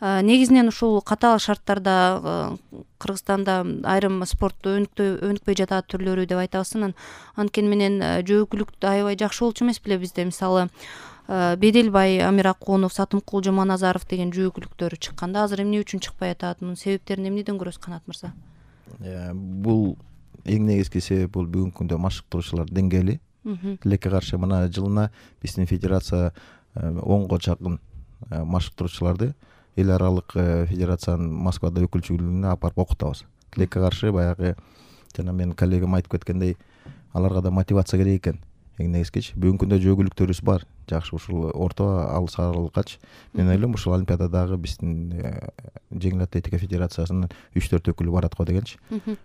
негизинен ушул катаал шарттарда Кыргызстанда айрым спортту өнүкпөй жатат түрлөрү деп айтабыз. Анткени менен жөөкүлүк аябай жакшы болчу эмес беле бизде. Мисалы Беделбай, Амир Акунов, Сатымкул Жомоназаров деген жөөкүлүктөр чыкканда азыр эмне үчүн чыкпай атат? Мунун себептерин эмнеден көрөсүз, Канат мырза? Бул эң негизги себеп бул бүгүнкү күндө машыктыруучулар деңгээли. Тилекке каршы мына жылына биздин федерация 10го жакын машыктыруучуларды эл аралык федерациянын Москвада өкүлчүлүгүнө алып барып окутабыз. Тилекке каршы баягы жана менин коллегам айтып кеткендей, аларга да мотивация керек экен. Эң негизгичи бүгүнкү күндө жөөкүлүктөрүбүз бар. Жакшы ушул орто алыс аралыккачы мен ойлойм ушул олимпиададагы биздин жеңил атлетика федерациясынын 3-4 өкүлү барат го дегенчи.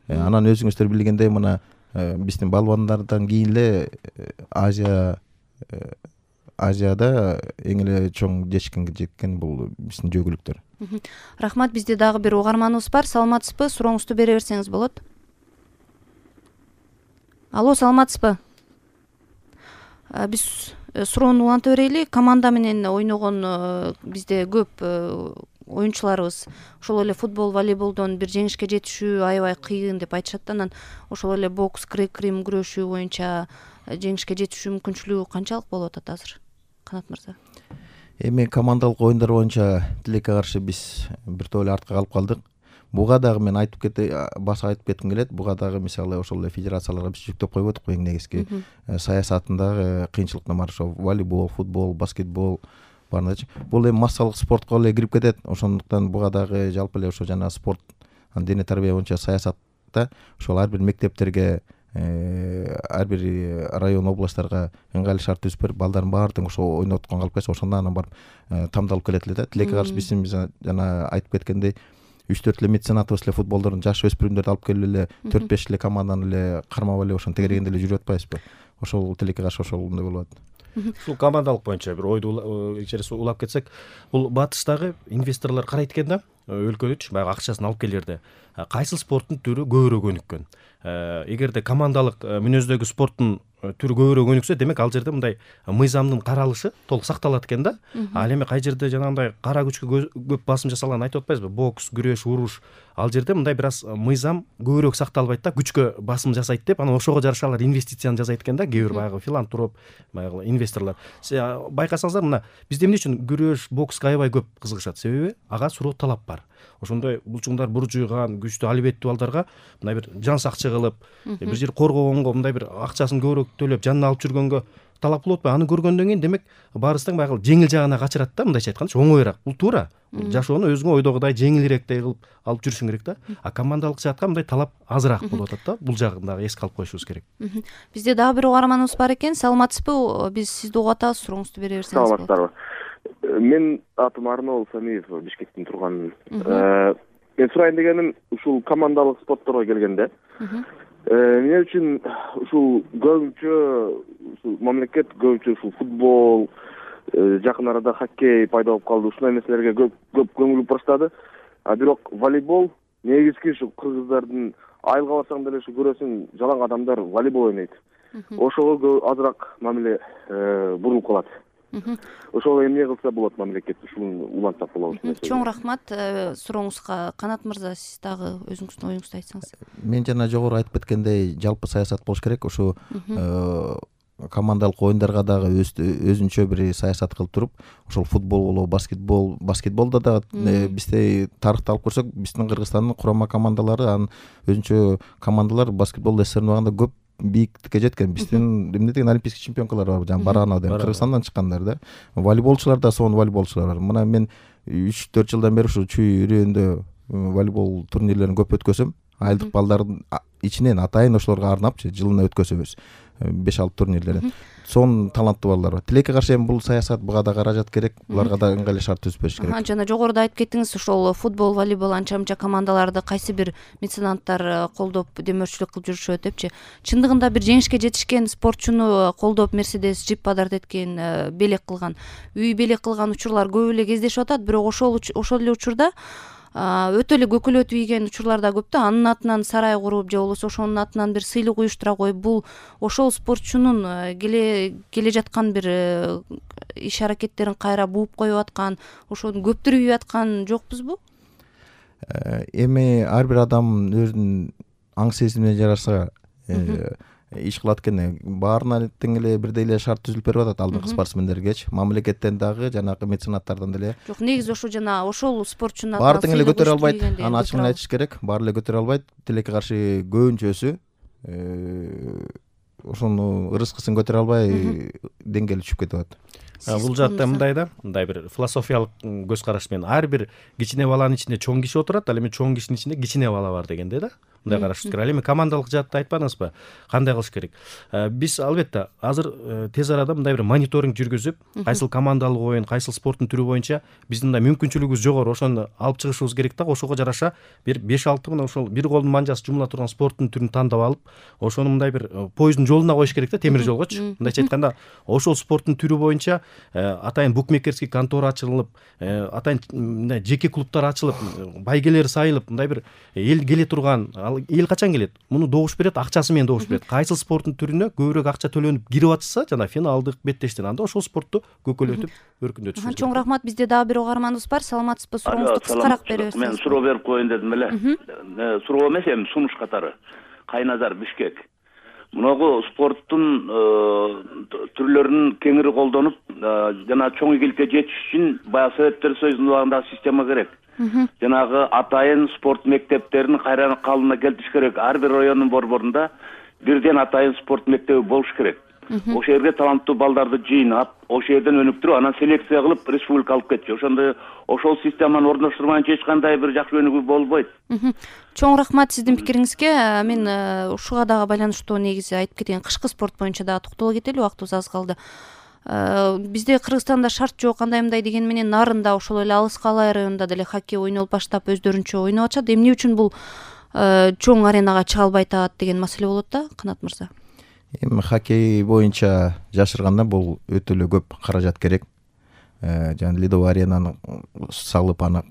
Анан өзүңүздөр билгендей мына биздин балбандардан кийин эле Азияда эң эле чоң жетишкенге жеткен бул биздин жөөкүлүктөр. Рахмат. Бизде дагы бир угарманыбыз бар. Саламатсызбы? Сурооңузду бере берсеңиз болот. Алло, саламатсызбы? Биз суроону уланта берели. Команда менен ойногон бизде көп оюнчуларыбыз ошол эле футбол, волейболдон бир жеңишке жетишүү аябай кыйын деп айтышат. Анан ошол эле бокс, грек-рим күрөшүү боюнча жеңишке жетишүү мүмкүнчүлүгү канчалык болуп атат азыр, Канат мырза? Эми командалык оюндар боюнча Тилекке каршы биз бир топ эле артка калып калдык. Буга дагы мен айтып кетким келет. Буга дагы мисалы ошол эле федерацияларга биз жүктөп койбодук эң негизги саясатындагы кыйынчылыктар бар. Ошо волейбол, футбол, баскетбол баарындачы. Бул эми массалык спортко эле кирип кетет. Ошондуктан буга дагы жалпы эле ошо жана спорт, дене тарбия боюнча саясатта ошол ар бир мектептерге, ар бир район, областтарга ыңгайлуу шарт түзүп берип, балдардын баардыгын ошо ойноткон калып кетсе, ошондо анан барып тамдалып келет эле да. Тилекке каршы биздин жана айтып кеткендей 3-4 эле меценатыбыз эле футболдордун жаш өспүрүмдөрдү алып келип эле 4-5 эле команданы эле кармап эле ошону тегерегенде эле жүрүп атпайбызбы? Ошол Тилекке каршы ошондой болуп атат. Ушул командалык боюнча бир ойду ичерисине улап кетсек, бул батыштагы инвесторлор карайт экен да, өлкөдүчү баягы акчасын алып келерде кайсы спорттун түрү көбүрөөк өнүккөн. Эгерде командалык мүнөздөгү спорттун түрү көбүрөөк өнүксө, демек ал жерде мындай мыйзамдын каралышы толук сакталат экен да. Ал эми кай жерде жанагындай кара күчкө көп басым жасалганын айтып атпайбызбы? Бокс, күрөш, уруш. Ал жерде мындай бир аз мыйзам көбүрөөк сакталбайт да, күчкө басым жасайт деп, анан ошого жараша алар инвестицияны жасайт экен да, кээ бир баягы филантроп, баягы инвесторлор. Байкасаңыздар, мына бизде эмне үчүн күрөш, бокска аябай көп кызыгышат? Себеби ага суроо талап бар. Ошондой булчуңдар буржуйган, күчтүү албеттүү балдарга мындай бир жан сакчы кылып, бир жер коргогонго мындай бир акчасын көбүрөөк төлөп, жанына алып жүргөнгө талап болуп атпайбы? Аны көргөндөн кийин демек баарыбыз тең баягы жеңил жагына качырат да, мындайча айтканда, оңоюраак. Бул туура. Жашоону өзүңө ойдогудай жеңилирээктей кылып алып жүрүшүң керек да. А командалык жаатка мындай талап азыраак болуп атат да. Бул жагын дагы эске алып коюшубуз керек. Бизде дагы бир угарманыбыз бар экен. Саламатсызбы? Биз сизди угуп атабыз. Сурооңузду бере берсеңиз болот. Саламатсыздарбы? Мен атым Арнол Самиев, Бишкектен турган. Мен сурайын дегеним, ушул командалык спортторго келгенде, эмне үчүн ушул көбүнчө мамлекет көбүнчө ушул футбол, жакын арада хоккей пайда болуп калды. Ушундай нерселерге көп көңүл буруп баштады. Бирок волейбол негизги ушу кыргыздардын айылга барсаң деле ушу көрөсүң, жалаң адамдар волейбол ойнойт. Ошого азыраак мамиле бурулуп калат. Ошол эмне кылса болот мамлекет, ушуну улантсак болобу? Чоң рахмат сурооңузга. Канат мырза, сиз дагы өзүңүздүн оюңузду айтсаңыз. Мен жана жогору айтып кеткендей, жалпы саясат болуш керек. Ушу командалык оюндарга дагы өзүнчө бир саясат кылып туруп, ошол футбол болобу, баскетболдо да бизде тарыхты алып көрсөк, биздин Кыргызстандын курама командалары, анын өзүнчө командалар баскетболдо сырнабаганда көп бийиктикке жеткен. Биздин эмне деген олимпийский чемпионкалар бар, жана Баранов деген Кыргызстандан чыккандар да. Волейболчулар да сонун волейболчулар бар. Мына мен 3-4 жылдан бери ушу Чүй районунда волейбол турнирлерин көп өткөзөм. Айылдык балдардын ичинен атайын ошолорго арнапчы жылына өткөзөбүз 5-6 турнирлерин. Сонун таланттуу балдар бар. Тилекке каршы эми бул саясат, буга да каражат керек, буларга да ыңгайлуу шарт түзүп бериш керек. Жана жогоруда айтып кеттиңиз, ошол футбол, волейбол анча-мынча командаларды кайсы бир меценаттар колдоп, демөөрчүлүк кылып жүрүшөт депчи. Чындыгында бир жеңишке жетишкен спортчуну колдоп, Мерседес, джип подарок эткен, белек кылган, үй белек кылган учурлар көп эле кездешип атат. Бирок ошол эле учурда өтө эле көкөлөтүп ийген учурлар да көп да. Анын атынан сарай куруп же болбосо ошонун атынан бир сыйлык уюштура коюп, бул ошол спортчунун келе жаткан бир иш аракеттерин кайра бууп коюп аткан, ошону көптүрүп аткан жокпузбу? Эми ар бир адам өзүнүн аң сезимине жараша иш кылат экен. Баарына тең эле бирдей эле шарт түзүлүп берип атат алдыңкы спортсмендергечи, мамлекеттен дагы, жанагы меценаттардан деле. Жок, негизи ошол спортчунун баары тең эле көтөрө албайт. Аны ачык эле айтыш керек. Баары эле көтөрө албайт. Тилекке каршы көбүнчөсү ошону ырыскысын көтөрө албай деңгээли түшүп кетип атат. Бул жакта мындай да, мындай бир философиялык көз караш менен ар бир кичине баланын ичинде чоң киши отурат, ал эми чоң кишинин ичинде кичине бала бар дегенде да. Мындай карашыбыз керек. Ал эми командалык жаатты айтпадыңызбы? Кандай кылыш керек? Биз албетте азыр тез арада мындай бир мониторинг жүргүзүп, кайсыл командалык оюн, кайсыл спорттун түрү боюнча биздин мындай мүмкүнчүлүгүбүз жогору, ошону алып чыгышыбыз керек да. Ошого жараша бир 5-6 мына ошол бир колдун манжасы жумула турган спорттун түрүн тандап алып, ошону мындай бир поезддин жолуна коюш керек да, темир жолгочу. Мындайча айтканда, ошол спорттун түрү боюнча атайын букмекерский контора ачылып, атайын мындай жеке клубтар ачылып, байгелер сайылып, мындай бир эл келе турган, эл качан келет? Муну добуш берет, акчасы менен добуш берет. Кайсыл спорттун түрүнө көбүрөөк акча төлөнүп кирип атса, жана финалдык, беттештен анда ошол спортту көкөлөтүп, өркүндөтүш керек. Чоң рахмат. Бизде дагы бир угарманыбыз бар. Саламатсызбы? Сурооңузду кыскараак беребиз. Мен суроо берип коеюн дедим эле. Суроо эмес, эми сунуш катары. Кайназар, Бишкек. Мунагу спорттун түрлөрүн кеңири колдонуп, жана чоң ийгиликке жетиш үчүн баягы Советтер Союзунун убагындагы система керек. Жанагы атайын спорт мектептерин кайра калыбына келтириш керек. Ар бир райондун борборунда бирден атайын спорт мектеби болуш керек. Ошол жерге таланттуу балдарды жыйнап, ошол жерден өнүктүрүп, анан селекция кылып республика алып кетчү. Ошондо ошол системаны орноштурмайынча эч кандай бир жакшы өнүгүү болбойт. Чоң рахмат сиздин пикириңизге. Мен ушуга дагы байланыштуу негизи айтып кетейин. Кышкы спорт боюнча дагы токтоло кетели, убактыбыз аз калды. Бизде Кыргызстанда шарт жок, кандай мындай деген менен Нарында, ошол эле Алыс Калай районунда деле хоккей ойнолуп баштап өздөрүнчө ойноп атышат. Эмне үчүн бул чоң аренага чыга албай атат деген маселе болот да, Канат мырза? Эми хоккей боюнча жашырганда бул өтө эле көп каражат керек. Жана ледовый аренаны салып, аны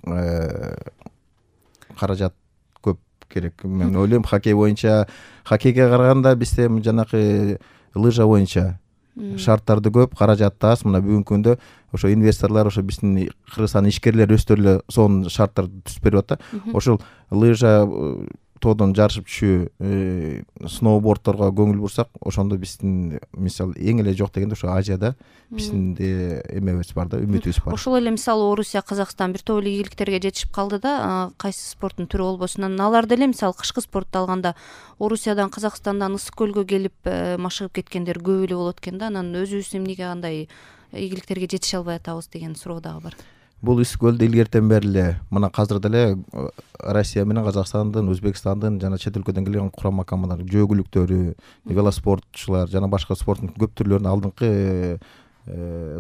каражат көп керек. Мен ойлойм, хоккей боюнча, хоккейге караганда бизде жанакы лыжа боюнча шарттарды көп, каражат аз. Мына бүгүнкү күндө ошо инвесторлор, ошо биздин Кыргызстандын ишкерлери өздөрү эле сонун шарттарды түзүп берип атат. Ошол лыжа тоодон жарышып түшүү, сноубордторго көңүл бурсак, ошондо биздин мисалы эң эле жок дегенде ошо Азияда биздин эмебиз бар да, үмүтүбүз бар. Ошол эле мисалы Орусия, Казакстан бир топ эле ийгиликтерге жетишип калды да, кайсы спорттун түрү болбосун. Анан алар деле мисалы кышкы спортту алганда Орусиядан, Казакстандан Ысык көлгө келип машыгып кеткендер көп эле болот экен да. Анан өзүбүз эмнеге андай ийгиликтерге жетише албай атабыз деген суроо дагы бар. Бул Ысык көлдө илгертен бери эле, мына азыр деле Россия менен Казакстандын, Өзбекстандын жана чет өлкөдөн келген курама командалар, жөгүлүктөрү, велоспортчулар жана башка спорттун көп түрлөрүнүн алдыңкы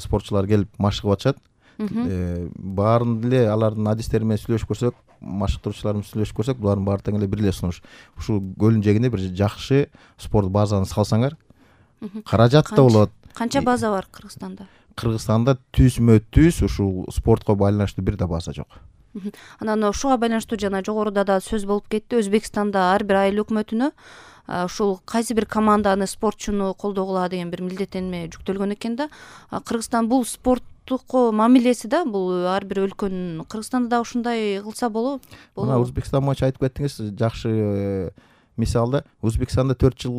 спортчулар келип машыгып атышат. Баарын деле алардын адистери менен сүйлөшүп көрсөк, машыктыруучулар менен сүйлөшүп көрсөк, булардын баары тең эле бир эле сунуш. Ушул көлдүн жээгинде бир жакшы спорт базаны салсаңар, каражат да болот. Канча база бар Кыргызстанда? Кыргызстанда түз ушул спортко байланыштуу бир да база жок. Анан ушуга байланыштуу жана жогоруда да сөз болуп кетти. Өзбекстанда ар бир айыл өкмөтүнө ушул кайсы бир команданы, спортчуну колдогула деген бир милдеттенме жүктөлгөн экен да. Кыргызстан бул спорттукко мамилеси да, бул ар бир өлкөнүн. Кыргызстанда да ушундай кылса болобу? Мына Өзбекстан боюнча айтып кеттиңиз, жакшы мисалда. Өзбекстанда 4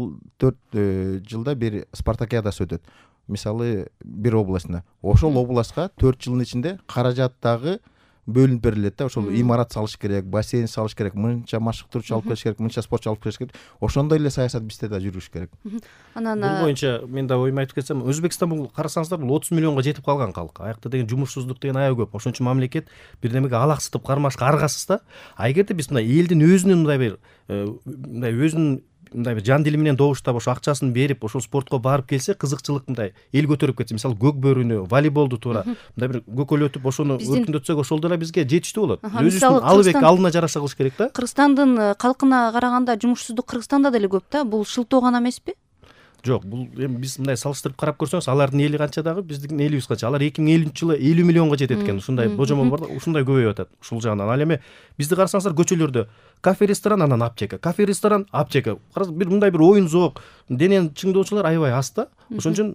жылда бир спартакиадасы өтөт. Мисалы бир областына. Ошол областка 4 жылдын ичинде каражат дагы бөлүнүп берилет да. Ошол имарат салыш керек, бассейн салыш керек, мынча машыктыруучу алып келиш керек, мынча спортчу алып келиш керек. Ошондой эле саясат бизде да жүрүш керек. Анан бул боюнча мен да оюмду айтып кетсем, Өзбекстан бул карасаңыздар, бул 30 миллионго жетип калган калк. Аякта деген жумушсуздук деген аябай көп. Ошон үчүн мамлекет бирдемеге алаксытып кармашка аргасыз да. А эгерде биз мындай элдин өзүнүн мындай өзүнүн мындай бир жан дили менен добуштап ошо акчасын берип, ошол спортко барып келсе, кызыкчылык мындай эл көтөрүп кетсе, мисалы көк бөрүнү, волейболду туура мындай бир көкөлөтүп ошону өркүндөтсөк, ошол деле бизге жетиштүү болот. Өзүбүздүн алып эки алдына жараша кылыш керек да. Кыргызстандын калкына караганда жумушсуздук Кыргызстанда деле көп да. Бул шылтоо гана эмеспи? Жок, бул эми биз мындай салыштырып карап көрсөңүз, алардын эли канча дагы, биздин элибиз канча. Алар 2050-жылы 50 миллионго жетет экен. Ушундай божомол бар да, ушундай көбөйүп атат ушул жагынан. Ал эми бизди карасаңыздар, көчөлөрдө кафе ресторан, анан аптека, кафе ресторан, аптека. Бир мындай бир оюн зоок, денени чыңдоочулар аябай аз да. Ошон үчүн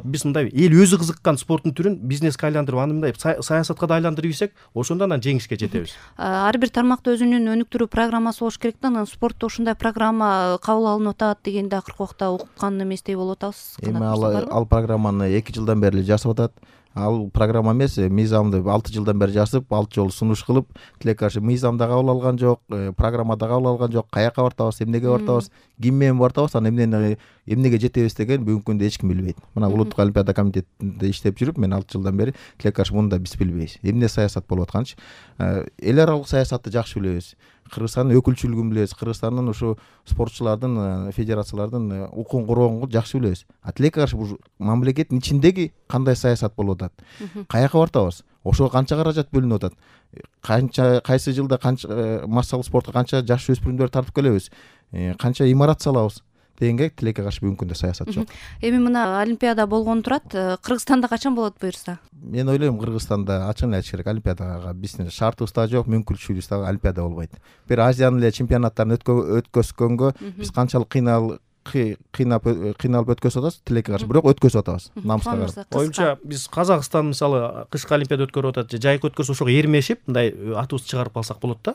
биз мындай эл өзү кызыккан спорттун түрүн бизнеске айландырып, аны мындай саясатка да айландырып ийсек, ошондо анан жеңишке жетебиз. Ар бир тармакта өзүнүн өнүктүрүү программасы болуш керек да. Анан спортто ушундай программа кабыл алынып атат дегенди акыркы убакта уккан эместей болуп атабыз. Эми ал программаны 2 жылдан бери жасап атат. Ал программа эмес, мыйзамды 6 жылдан бери жасап, 6 жолу сунуш кылып, тилекке каршы мыйзамда кабыл алган жок, программада кабыл алган жок, каяка бартабыз, эмнеге бартабыз, ким менен бартабыз, анан эмнеге жетебиз деген бүгүнкү күндө эч ким билбейт. Мына Улуттук олимпиада комитетинде иштеп жүрүп, мен 6 жылдан бери тилекке каршы муну да биз билбейбиз. Эмне саясат болуп атканчы. Эл аралык саясатты жакшы билебиз. Кыргызстандын өкүлчүлүгүн билебиз, Кыргызстандын ушу спортчулардын, федерациялардын укугун коргоонго жакшы билебиз. Тилекке каршы бул мамлекеттин ичиндеги кандай саясат болуп атат, каяка бартабыз, ошого канча каражат бөлүнүп атат, кайсы жылда канча массалык спортко канча жаш өспүрүмдөрдү тартып келебиз, канча имарат салабыз дегенге тилекке каршы бүгүнкү күндө саясат жок. Эми мына олимпиада болгону турат, Кыргызстанда качан болот буюрса? Мен ойлойм, Кыргызстанда ачыгын айтыш керек, олимпиадага биздин шартыбыз да жок, мүмкүнчүлүгүбүз да олимпиада болбойт. Бир Азиянын эле чемпионаттарын өткөзгөнгө биз канчалык кыйналып өткөзүп атабыз, тилекке каршы бирок өткөзүп атабыз, намыска карап. Оюмча биз Казакстан мисалы кышкы олимпиада өткөрүп атат же жайкы өткөрсө, ошого эрмешип мындай атыбызды чыгарып алсак болот да.